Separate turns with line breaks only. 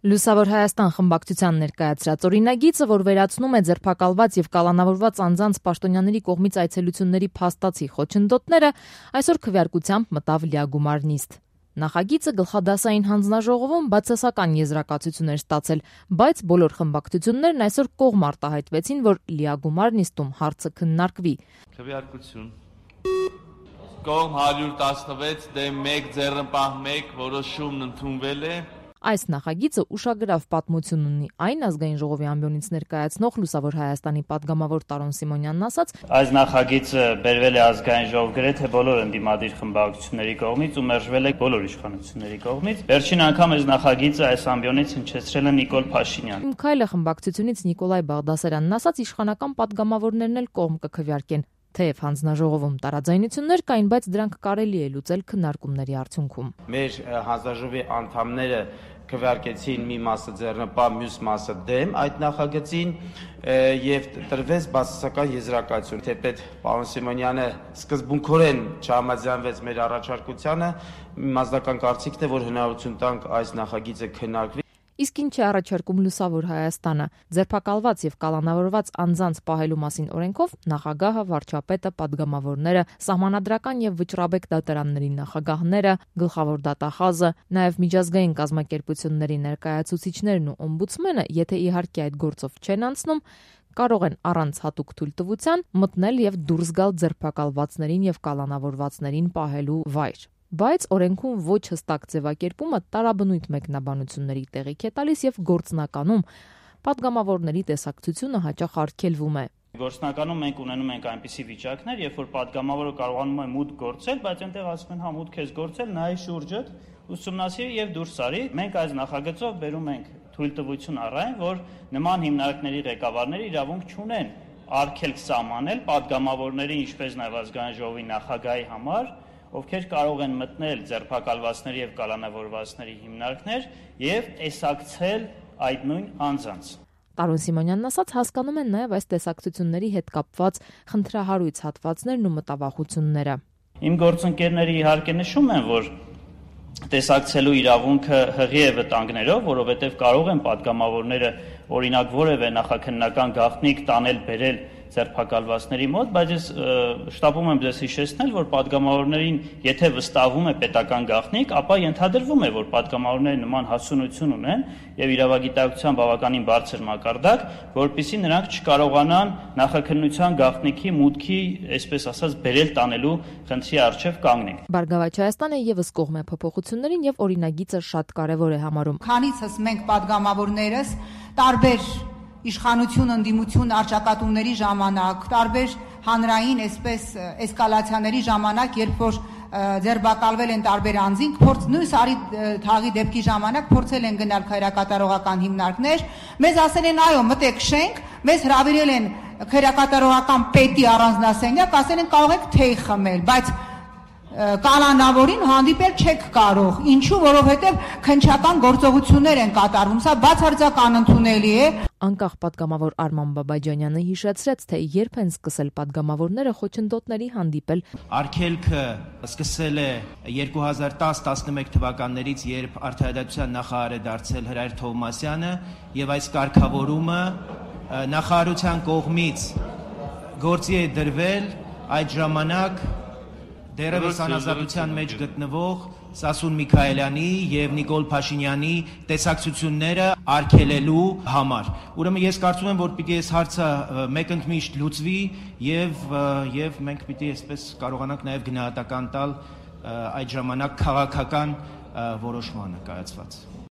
Լուսավոր Հայաստան խմբակցության ներկայացրած օրինագիծը, որ վերացնում է ձերբակալված եւ կալանավորված անձանց պաշտոնյաների կողմից այցելությունների փաստացի խոչընդոտները, այսօր քվեարկությամբ մտավ լիագումար նիստ։ Նախագիծը գլխադասային հանձնաժողովում բացասական եզրակացություն էր ստացել, բայց բոլոր խմբակցություններն այսօր կողմ արտահայտվեցին, որ լիագումար նիստում հարցը քննարկվի։
Քվեարկություն։ Կողմ 116 դեմ 1 ձեռնպահ 1 որոշումն ընդունվել է։
Այս նախագիծը ուշագրավ պատմություն ունի, այն ազգային ժողովի ամբիոնից ներկայացնող Լուսավոր Հայաստանի падգամավոր Տարոն Սիմոնյանն ասաց.
Այս նախագիծը բերվել է ազգային ժողով գրեթե բոլոր ընդդիմադիր խմբակցությունների կողմից ու մերժվել է բոլոր իշխանությունների կողմից։ Վերջին անգամ այս նախագիծը այս ամբիոնից հնչեցրել է Նիկոլ Փաշինյանը։
Իմ քայլը խմբակցությունից Նիկոլայ Բաղդասարյանն ասաց, իշխանական падգամավորներն էլ կողմ կքվեարկեն։ Թեև հանձնաժողովում տարաձայնություններ կային, բայց դրանք կարելի է լուծել քննարկումների արդյունքում։
Մեր հանձնաժողովի անդամները քվեարկեցին մի մասը ձեռնպահ, մյուս մասը դեմ այդ նախագծին եւ տրվեց բացասական եզրակացություն։ Թեպետ պարոն Սիմոնյանը սկզբունքորեն չհամաձայնվեց մեր առաջարկությանը, մասնական կարծիքն է, որ հնարավորություն տանք այս նախագիծը քննարկվի։
Իսկ ինչ է առաջարկում Լուսավոր Հայաստանը։ Ձերբակալված եւ կալանավորված անձանց պահելու մասին օրենքով նախագահը, վարչապետը, падգամավորները, սահմանադրական եւ վճռաբեկ դատարանների նախագահները, գլխավոր դատախազը, նաեւ միջազգային կազմակերպությունների ներկայացուցիչներն ու օմբուդսմենը, եթե իհարկե այդ գործով չեն անցնում, կարող են առանց հատուկ թույլտվության մտնել եւ դուրս գալ ձերբակալվածներին եւ կալանավորվածներին պահելու վայր։ Բայց օրենքում ոչ հստակ ձևակերպումը տարաբնույթ մեկնաբանությունների տեղիք է տալիս եւ գործնականում падգամավորների տեսակցությունը հաճախ արգելվում է։
Գործնականում մենք ունենում ենք այնպիսի վիճակներ, երբ որ падգամավորը կարողանում է մուտք գործել, բայց այնտեղ ասում են, հա մուտք ես գործել, նայ շուրջդ, ուսումնասիրի եւ դուրս արի։ Մենք այս նախագծով բերում ենք թույլտվություն առայն, որ նման հիմնարկների ղեկավարները իրավունք չունեն արգելք սահմանել падգամավորների, ինչպես նաեւ ազգային ժողովի նախագահի համար, ովքեր կարող են մտնել ձերբակալվածների եւ կալանավորվածների հիմնարկներ եւ տեսակցել այդ նույն անձանց։
Տարոն Սիմոնյանն ասաց, հասկանում են նաեւ այս տեսակցությունների հետ կապված խնդրահարույց հատվածներն ու մտավախությունները։
Իմ գործընկերները իհարկե նշում են, որ տեսակցելու իրավունքը հղի է վտանգներով, որովհետեւ կարող են падգամավորները օրինակ որևէ նախաքննական գաղտնիք տանել բերել ձերբակալվածների մոտ, բայց ես շտապում եմ ձեզ հիշեցնել, որ падգամավորներին, եթե վստահվում է պետական գաղտնիք, ապա ենթադրվում է, որ падգամավորները նման հասունություն ունեն եւ իրավագիտակցության բավականին բարձր մակարդակ, որpիսի նրանք չկարողանան նախաքննության գաղտնիքի մուտքի, այսպես ասած, բերել տանելու խնդրի առջև կանգնել։
Բարգավաճ Հայաստանը եւս կողմ է փոփոխություններին եւ օրինագիծը շատ կարեւոր է համարում։
Քանիցս մենք падգամավորներս տարբեր իշխանություն ընդդիմություն արճակատումների ժամանակ, տարբեր հանրային այսպես էսկալացիաների ժամանակ, երբ որ ձերբակալվել են տարբեր անձինք, նույն Սարի թաղի դեպքի ժամանակ փորձել են գնալ քայրակատարողական հիմնարկներ, մեզ ասել են այո, մտեք շենք, մեզ հրավիրել են քայրակատարողական պետի առանձնասենյակ, ասել են կարող եք թեյ խմել, բայց կալանավորին հանդիպել չեք կարող։ Ինչու՞, որովհետև քննչական գործողություններ են կատարվում։ Սա բացարձակ անընդունելի է։
Անկախ падգամավոր Արման Բաբաջանյանը հիշեցրեց, թե երբ են սկսել падգամավորները խոչընդոտների հանդիպել։
Արգելքը սկսել է 2010-11 թվականներից, երբ Արդարադատության նախարար է դարձել Հրայր Թովմասյանը, եւ այս կարգավորումը նախարարության կողմից գործի է դրվել այդ ժամանակ դերևս անազատության մեջ գտնվող Սասուն Միքայելյանի եւ Նիկոլ Փաշինյանի տեսակցությունները արգելելու համար։ Ուրեմն ես կարծում եմ, որ պիտի այս հարցը մեկընդմիշտ լուծվի եւ մենք պիտի այսպես կարողանանք նաեւ գնահատական տալ այդ ժամանակ քաղաքական որոշմանը կայացված։